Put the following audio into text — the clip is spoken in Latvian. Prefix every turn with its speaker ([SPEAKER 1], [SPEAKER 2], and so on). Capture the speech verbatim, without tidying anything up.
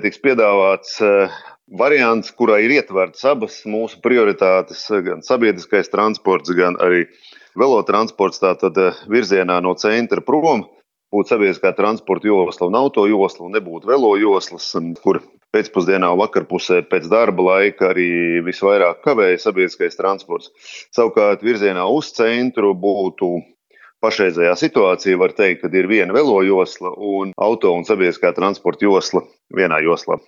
[SPEAKER 1] Tiks piedāvāts variants, kurā ir ietvertas abas mūsu prioritātes, gan sabiedriskais transports, gan arī velotransports, tātad virzienā no centra prom būtu sabiedriskā transporta josla un auto josla, un nebūtu velo joslas, kur pēcpusdienā un vakarpusē pēc darba laika arī visvairāk kavēja sabiedriskais transports. Savukārt virzienā uz centru būtu pašreizējā situācija, var teikt, kad ir viena velo josla un auto un sabiedriskā transporta josla vienā joslā.